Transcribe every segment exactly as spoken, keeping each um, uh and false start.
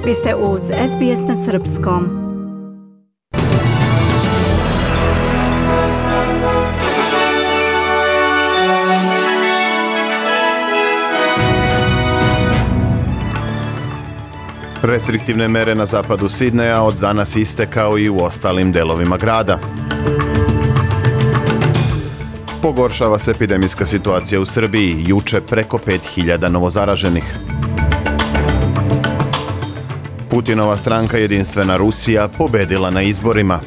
Vi ste uz S B S na srpskom. Restriktivne mere na zapadu Sidneja od danas iste kao i u ostalim delovima grada. Pogoršava se epidemijska situacija u Srbiji, juče preko pet hiljada novozaraženih. Putinova stranka Jedinstvena Rusija pobedila na izborima.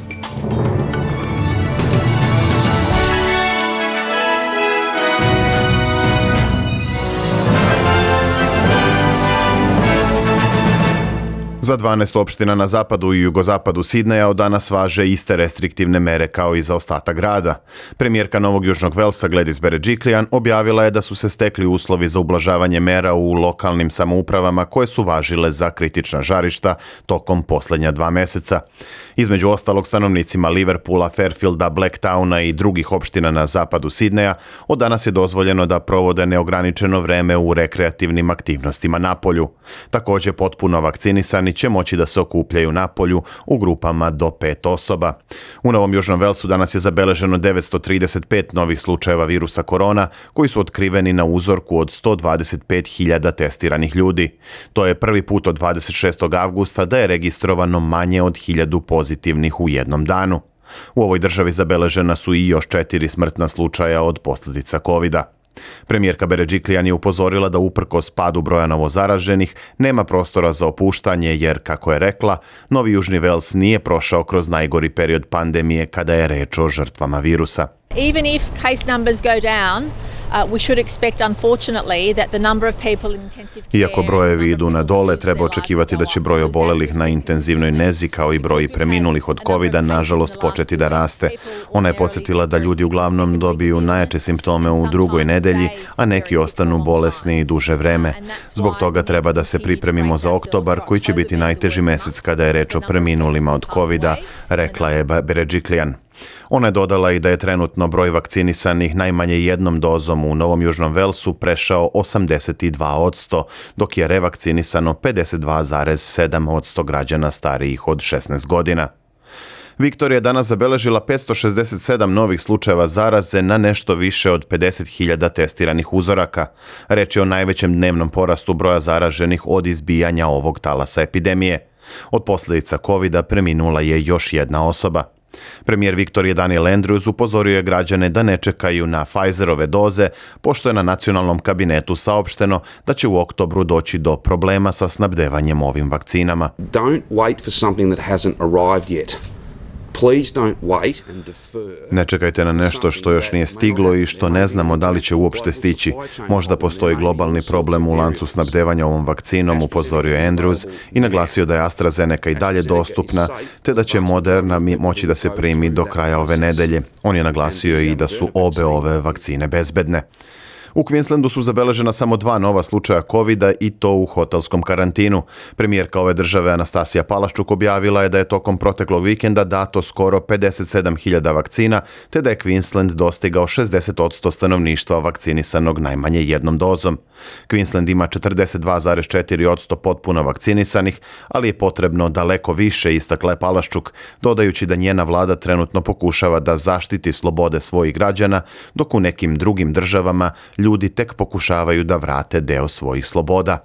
Za dvanaest opština na zapadu i jugozapadu Sidneja od danas važe iste restriktivne mere kao i za ostatak grada. Premijerka Novog Južnog Velsa Gladys Berejiklian objavila je da su se stekli uslovi za ublažavanje mera u lokalnim samoupravama koje su važile za kritična žarišta tokom posljednja dva meseca. Između ostalog, stanovnicima Liverpoola, Fairfielda, Blacktowna i drugih opština na zapadu Sidneja od danas je dozvoljeno da provode neograničeno vreme u rekreativnim aktivnostima napolju. Također, potpuno vakcinisani će moći da se okupljaju napolju u grupama do pet osoba. U Novom Južnom Velsu danas je zabeleženo devetsto trideset pet novih slučajeva virusa korona koji su otkriveni na uzorku od sto dvadeset pet hiljada testiranih ljudi. To je prvi put od dvadeset šestog avgusta da je registrovano manje od hiljadu pozitivnih u jednom danu. U ovoj državi zabeležena su i još četiri smrtna slučaja od posljedica kovida. Premijerka Berejiklian je upozorila da uprkos padu broja novozaraženih nema prostora za opuštanje jer, kako je rekla, Novi Južni Vels nije prošao kroz najgori period pandemije kada je reč o žrtvama virusa. Even if case numbers go down, uh, we should expect unfortunately that the number of people in intensive care. Iako brojevi idu na dole, treba očekivati da će broj obolelih na intenzivnoj nezi kao i broj preminulih od kovida nažalost početi da raste. Ona je podsjetila da ljudi uglavnom dobiju najjače simptome u drugoj nedelji, a neki ostanu bolesni i duže vreme. Zbog toga treba da se pripremimo za oktobar, koji će biti najteži mesec kada je reč o preminulima od kovida, rekla je Berejiklian. Ona je dodala i da je trenutno broj vakcinisanih najmanje jednom dozom u Novom Južnom Velsu prešao osamdeset dva posto, dok je revakcinisano pedeset dva zarez sedam posto građana starijih od šesnaest godina. Viktorija je danas zabeležila petsto šezdeset sedam novih slučajeva zaraze na nešto više od pedeset hiljada testiranih uzoraka. Reč je o najvećem dnevnom porastu broja zaraženih od izbijanja ovog talasa epidemije. Od posljedica kovida preminula je još jedna osoba. Premijer Viktorije Daniel Andrews upozorio je građane da ne čekaju na Pfizerove doze, pošto je na nacionalnom kabinetu saopšteno da će u oktobru doći do problema sa snabdevanjem ovim vakcinama. Don't wait for something that hasn't arrived yet. Please don't wait and defer. Ne čekajte na nešto što još nije stiglo i što ne znamo da li će uopšte stići. Možda postoji globalni problem u lancu snabdevanja ovom vakcinom, upozorio je Andrews i naglasio da je AstraZeneca i dalje dostupna, te da će Moderna moći da se primi do kraja ove nedelje. On je naglasio i da su obe ove vakcine bezbedne. U Queenslandu su zabeležena samo dva nova slučaja kovida i to u hotelskom karantinu. Premijerka ove države Anastasija Palaščuk objavila je da je tokom proteklog vikenda dato skoro pedeset sedam hiljada vakcina, te da je Queensland dostigao šezdeset posto stanovništva vakcinisanog najmanje jednom dozom. Queensland ima četrdeset dva zarez četiri posto potpuno vakcinisanih, ali je potrebno daleko više, istakla je Palaščuk, dodajući da njena vlada trenutno pokušava da zaštiti slobode svojih građana, dok u nekim drugim državama ljudi tek pokušavaju da vrate deo svojih sloboda.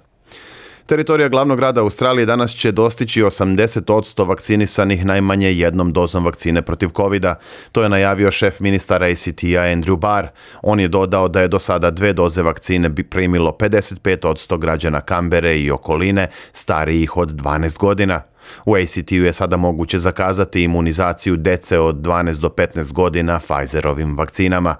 Teritorija glavnog grada Australije danas će dostići osamdeset posto vakcinisanih najmanje jednom dozom vakcine protiv kovida. To je najavio šef ministara A C T-a Andrew Barr. On je dodao da je do sada dve doze vakcine bi primilo pedeset pet posto građana Kambere i okoline starijih od dvanaest godina. U A C T-u je sada moguće zakazati imunizaciju dece od dvanaest do petnaest godina Pfizerovim vakcinama.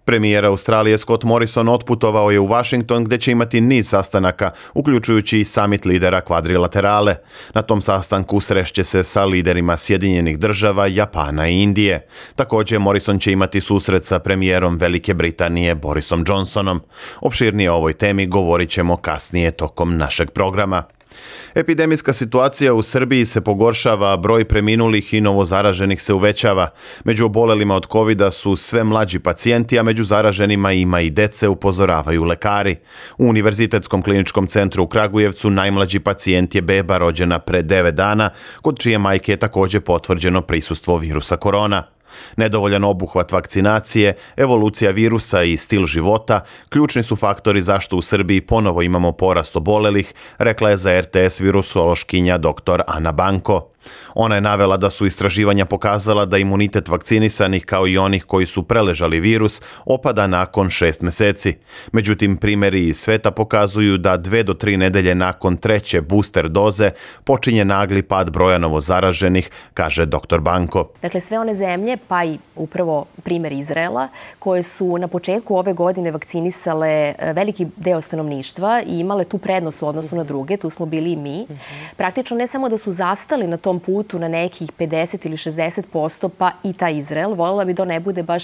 Premijer Australije Scott Morrison otputovao je u Washington gdje će imati niz sastanaka, uključujući i summit lidera kvadrilaterale. Na tom sastanku srešće se sa liderima Sjedinjenih država, Japana i Indije. Također Morrison će imati susret sa premijerom Velike Britanije Borisom Johnsonom. Opširnije o ovoj temi govorit ćemo kasnije tokom našeg programa. Epidemijska situacija u Srbiji se pogoršava, a broj preminulih i novozaraženih se uvećava. Među obolelima od kovida su sve mlađi pacijenti, a među zaraženima ima i dece, upozoravaju lekari. U Univerzitetskom kliničkom centru u Kragujevcu najmlađi pacijent je beba rođena pre devet dana, kod čije majke je također potvrđeno prisustvo virusa korona. Nedovoljan obuhvat vakcinacije, evolucija virusa i stil života ključni su faktori zašto u Srbiji ponovo imamo porast obolelih, rekla je za er te es virusološkinja doktor Ana Banko. Ona je navela da su istraživanja pokazala da imunitet vakcinisanih kao i onih koji su preležali virus opada nakon šest meseci. Međutim, primjeri iz sveta pokazuju da dve do tri nedelje nakon treće booster doze počinje nagli pad broja novozaraženih, kaže doktor Banko. Dakle, sve one zemlje, pa i upravo primjer Izraela, koje su na početku ove godine vakcinisale veliki deo stanovništva i imale tu prednost u odnosu na druge, tu smo bili i mi, praktično ne samo da su zastali na tom putu na nekih pedeset ili šezdeset posto, pa i taj Izrael. Voljela bi da ne bude baš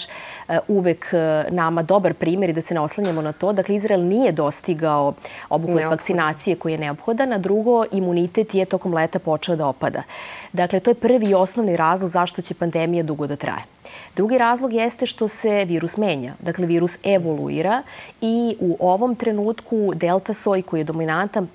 uvek nama dobar primjer i da se ne oslanjamo na to. Dakle, Izrael nije dostigao obuhvat vakcinacije koji je neophodan, a drugo, imunitet je tokom leta počeo da opada. Dakle, to je prvi i osnovni razlog zašto će pandemija dugo da traje. Drugi razlog jeste što se virus menja. Dakle, virus evoluira i u ovom trenutku delta soj koji je dominantan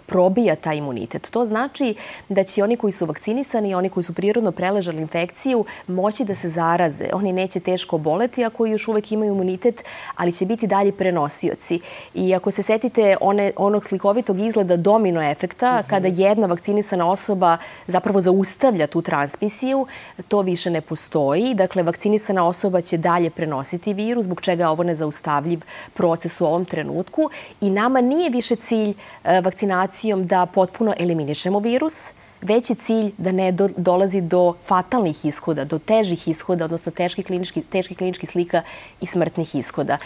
probija taj imunitet. To znači da će oni koji su vakcinisani i oni koji su prirodno preležali infekciju moći da se zaraze. Oni neće teško boleti ako još uvek imaju imunitet, ali će biti dalje prenosioci. I ako se setite one, onog slikovitog izgleda domino efekta, mm-hmm. kada jedna vakcinisana osoba zapravo zaustavlja tu transmisiju, to više ne postoji. Dakle, vakcinisana osoba će dalje prenositi virus, zbog čega je ovo nezaustavljiv proces u ovom trenutku. I nama nije više cilj vakcinacije da potpuno eliminišemo virus, već je cilj da ne do, dolazi do fatalnih ishoda, do težih ishoda, odnosno teških kliničkih, teških kliničkih slika i smrtnih ishoda.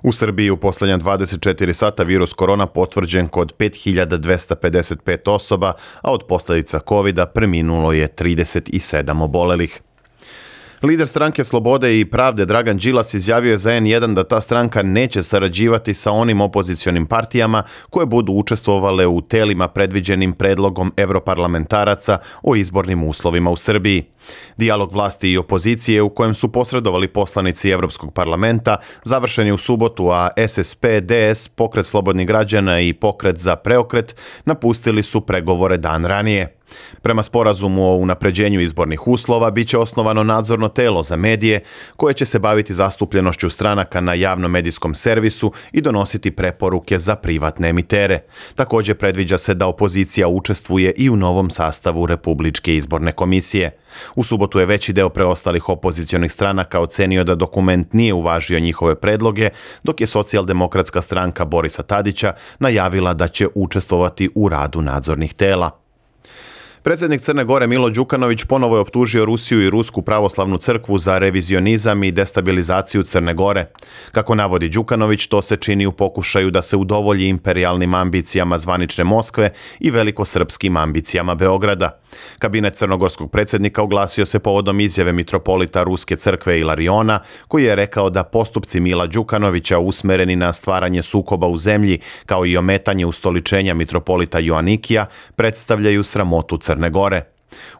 U Srbiji u posljednja dvadeset četiri sata virus korona potvrđen kod pet hiljada dvesta pedeset pet osoba, a od posljedica kovida preminulo je trideset sedam obolelih. Lider stranke Slobode i pravde Dragan Đilas izjavio je za en jedan da ta stranka neće sarađivati sa onim opozicionim partijama koje budu učestvovale u telima predviđenim predlogom evroparlamentaraca o izbornim uslovima u Srbiji. Dijalog vlasti i opozicije u kojem su posredovali poslanici Evropskog parlamenta završen je u subotu, a es es pe, de es, Pokret slobodnih građana i Pokret za preokret napustili su pregovore dan ranije. Prema sporazumu o unapređenju izbornih uslova biće osnovano nadzorno telo za medije koje će se baviti zastupljenošću stranaka na javnom medijskom servisu i donositi preporuke za privatne emitere. Također predviđa se da opozicija učestvuje i u novom sastavu Republičke izborne komisije. U subotu je veći deo preostalih opozicionih stranaka ocenio da dokument nije uvažio njihove predloge, dok je socijaldemokratska stranka Borisa Tadića najavila da će učestvovati u radu nadzornih tela. Predsjednik Crne Gore Milo Đukanović ponovo je optužio Rusiju i Rusku pravoslavnu crkvu za revizionizam i destabilizaciju Crne Gore. Kako navodi Đukanović, to se čini u pokušaju da se udovolji imperijalnim ambicijama zvanične Moskve i velikosrpskim ambicijama Beograda. Kabinet crnogorskog predsjednika oglasio se povodom izjave mitropolita Ruske crkve Ilariona, koji je rekao da postupci Mila Đukanovića usmereni na stvaranje sukoba u zemlji, kao i ometanje ustoličenja mitropolita Joanikija, predstavljaju sramotu Crne Gore.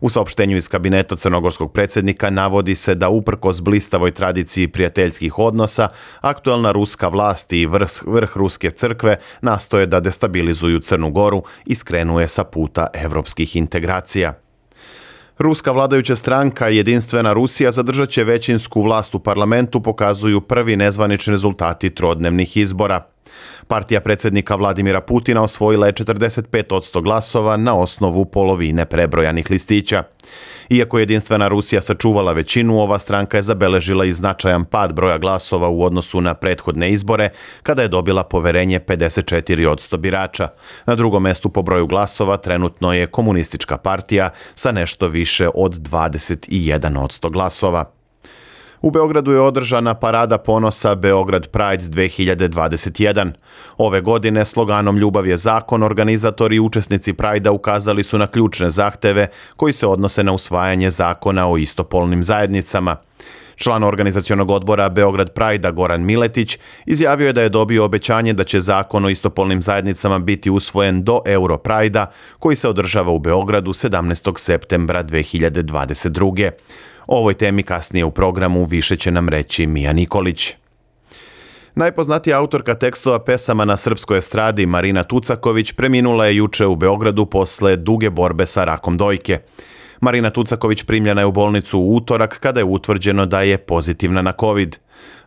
U saopštenju iz kabineta crnogorskog predsjednika navodi se da uprkos blistavoj tradiciji prijateljskih odnosa, aktualna ruska vlast i vrh, vrh Ruske crkve nastoje da destabilizuju Crnu Goru i skrenuje sa puta evropskih integracija. Ruska vladajuća stranka Jedinstvena Rusija zadržat će većinsku vlast u parlamentu, pokazuju prvi nezvanični rezultati trodnevnih izbora. Partija predsjednika Vladimira Putina osvojila je četrdeset pet posto glasova na osnovu polovine prebrojanih listića. Iako je Jedinstvena Rusija sačuvala većinu, ova stranka je zabeležila i značajan pad broja glasova u odnosu na prethodne izbore, kada je dobila poverenje pedeset četiri posto birača. Na drugom mestu po broju glasova trenutno je Komunistička partija sa nešto više od dvadeset jedan posto glasova. U Beogradu je održana parada ponosa Beograd Pride dve hiljade dvadeset jedan. Ove godine sloganom Ljubav je zakon organizatori i učesnici Prajda ukazali su na ključne zahteve koji se odnose na usvajanje zakona o istopolnim zajednicama. Član organizacionog odbora Beograd Pride-a Goran Miletić izjavio je da je dobio obećanje da će zakon o istopolnim zajednicama biti usvojen do Euro Pride-a koji se održava u Beogradu sedamnaestog septembra dve hiljade dvadeset druge. O ovoj temi kasnije u programu više će nam reći Mija Nikolić. Najpoznatija autorka tekstova pesama na srpskoj estradi Marina Tucaković preminula je juče u Beogradu posle duge borbe sa rakom dojke. Marina Tucaković primljena je u bolnicu u utorak kada je utvrđeno da je pozitivna na COVID.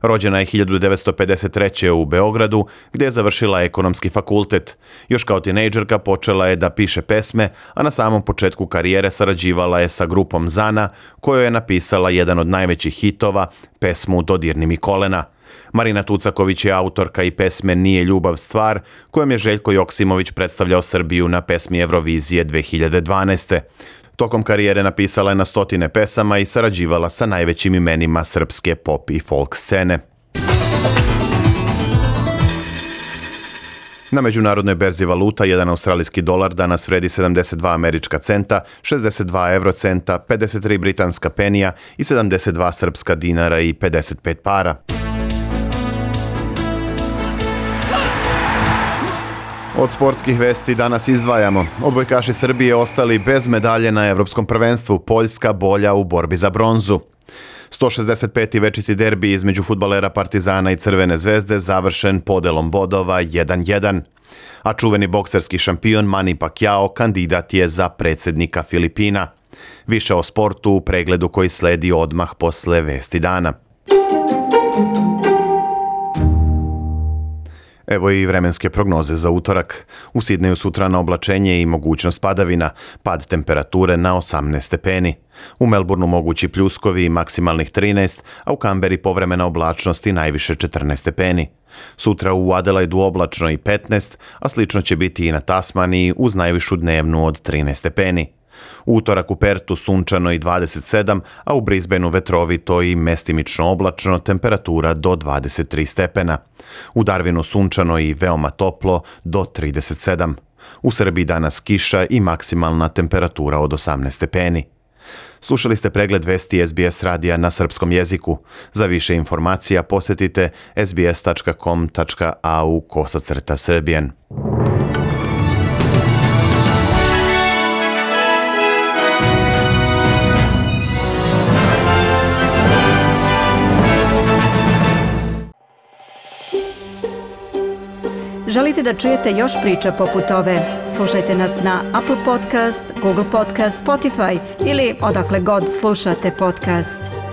Rođena je hiljadu devetsto pedeset treće. u Beogradu, gdje je završila ekonomski fakultet. Još kao tinejdžerka počela je da piše pesme, a na samom početku karijere sarađivala je sa grupom Zana, kojoj je napisala jedan od najvećih hitova, pesmu Dodirni mi kolena. Marina Tucaković je autorka i pesme Nije ljubav stvar, kojom je Željko Joksimović predstavljao Srbiju na pesmi Eurovizije dve hiljade dvanaeste. Tokom karijere napisala je na stotine pesama i sarađivala sa najvećim imenima srpske pop i folk scene. Na međunarodnoj berzi valuta jedan australijski dolar danas vredi sedamdeset dva američka centa, šezdeset dva eurocenta, pedeset tri britanska penija i sedamdeset dva srpska dinara i pedeset pet para. Od sportskih vesti danas izdvajamo. Odbojkaši Srbije ostali bez medalje na Evropskom prvenstvu, Poljska bolja u borbi za bronzu. sto šezdeset peti večiti derbi između fudbalera Partizana i Crvene zvezde završen podelom bodova jedan jedan. A čuveni bokserski šampion Manny Pacquiao kandidat je za predsjednika Filipina. Više o sportu u pregledu koji sledi odmah posle vesti dana. Evo i vremenske prognoze za utorak. U Sidneju sutra na oblačenje i mogućnost padavina, pad temperature na osamnaest stepeni. U Melbourneu mogući pljuskovi i maksimalnih trinaest, a u Kamberi povremena oblačnost i najviše četrnaest stepeni. Sutra u Adelaidu oblačno i petnaest, a slično će biti i na Tasmaniji uz najvišu dnevnu od trinaest stepeni. U utorak u Pertu sunčano i dvadeset sedam, a u Brisbaneu vetrovito i mestimično oblačno, temperatura do dvadeset tri stepena. U Darwinu sunčano i veoma toplo do trideset sedam. U Srbiji danas kiša i maksimalna temperatura od osamnaest stepeni. Slušali ste pregled vesti S B S radija na srpskom jeziku. Za više informacija posjetite sbs tačka com tačka a u kosacrta srbijen. Želite da čujete još priča poput ove? Slušajte nas na Apple Podcast, Google Podcast, Spotify ili odakle god slušate podcast.